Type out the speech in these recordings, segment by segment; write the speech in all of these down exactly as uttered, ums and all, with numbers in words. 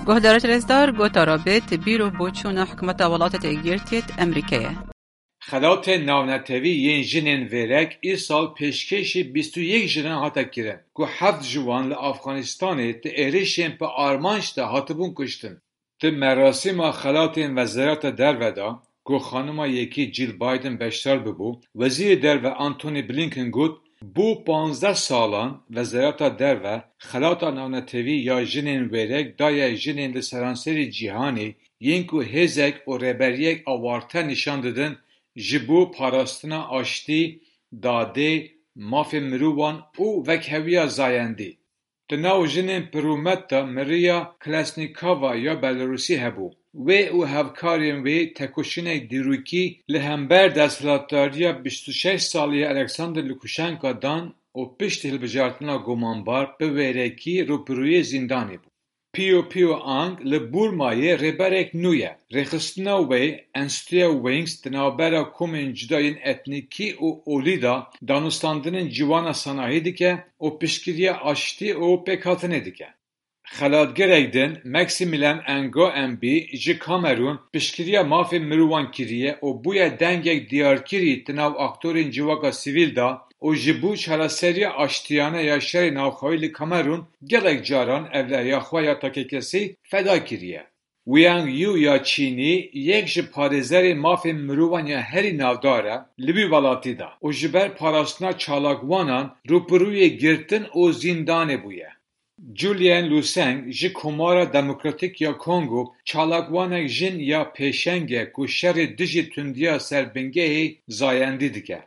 Guhdarêt rêzdar, gotara bêt bîr û boçûna hikûmeta Welatêt Êkgirtiyêt Emerîkeyê. Xelatên navnetewî yên jinên vêrek îsal pêşkêşî bîst û yek jinan hate kirin, ku heft ji wan li Afganistanê di êrişên bi armanc de hatibûn kuştin. Di merasîma xelatên Wezareta Derve de, ku xanima yekî Jill Biden beşdar bibû, Wezîrê Derve Antony Blinken got, Bû panzdeh salan Wezareta Derve xelata navnetewî ya jinên wêrek daye jinên li seranserî cîhanê yên ku hêzek û rêberiyek awarte nîşan didin ji bo parastina aştî, dadê, mafên mirovan û wekheviya zayendî. Di nav jinên pirûmet de miriya Kalesnîkova ya Belarusî hebû. Wê û hevkarên wê tekoşînek dîrokî li hember desthilatdariya bîst û şeş salî ya Alexander Lukashenka dan û piştî hilbijartina gumanbar bi wêrekî rûbirûyê zîndanê bû. Pio Pio Ang li Burmayê rêberek nû ye. Rêxistina wê, Enstitûya Wings, di navbera komên cuda yên etnîkî û olî de danûstandinên ciwana sanahî dike û piştgiriya aştî û pêkhatinê dike. Xelatgerek din, Maximilian Ngo Mbi ji Kamerûn, piştgiriya mafên mirovan kiriye û bûye dengek diyarkirî di nav aktorên civaka sivîl de û ji bo çareseriya aştiyane ya şerê navxweyî li Kamerûn gelek caran evleriya xwe ya takekesî feda kiriye. Wang Yu ya Çînî yek ji parêzerên mafên mirovan ya herî navdar e li wî welatî de û ji ber parastina çalakvanan rûbirûyê girtin û zîndanê bûye. Julian Luseng ji Komara Demokratîk ya Kongo çalakvanek jin ya pêşeng e ku şerê dijî tundiya ser bingehê zayendî dike.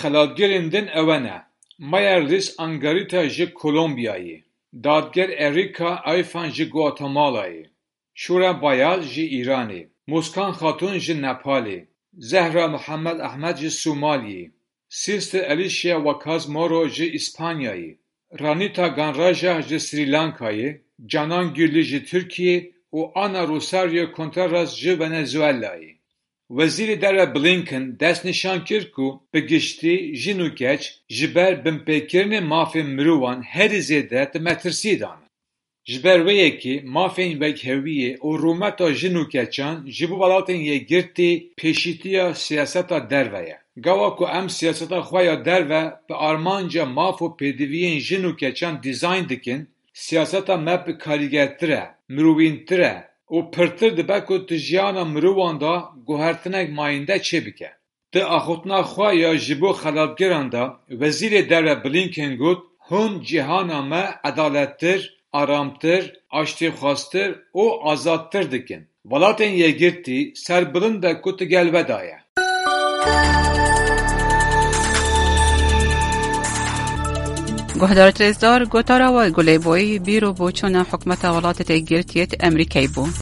Xelatgerên din ewe ne, Mayerlis Angarita ji Kolombiyayê, dadger Erika Ayfan ji Guatemalayê, Şûra Bayaz ji Îranê, Muskan Xatûn ji Nepalê, Zehra Muhammed Ahmed ji Somaliyê, Sister Alicia Wakaz Moro ji Îspanyayê, Ranita Ganraja ji Srî Lankayê, Canan Gülü ji Tirkiyê û Ana Rosario Contreras ji Venezuelayê. Wezîrê Derve Blinken destnîşan kir ku bi giştî jin û keç ji ber binpêkirinê mafên mirovan herî zêde di metirsiyê de ne. Ji ber wê yekê mafên wekheviyê û rûmeta jin û keçan ji bo Welatên Yekgirtî pêşîtiya siyaseta derve ye. Gava ku em siyaseta xwe ya derve bi armanca maf û pêdiviyên jin û keçan dîzayn dikin, siyaseta me bi karîgertir e, mirovîntir e û pirtir dibe ku di jiyana mirovan de guhertinek mayînde çêbike. Di axiftina xwe ya ji bo xelatgeran de Wezîrê Derve Blinken got, Hûn cîhana me edalettir, aramtir, aştîxwaztir û azadtir dikin. Welatên Yekgirtî serbilind be ku di gel we de ye. Guhdarêt rêzdar, gotara we Gulê Boyî bîr û boçûna hikûmeta Welatêt Êkgirtiyêt Emerîkeyê bû.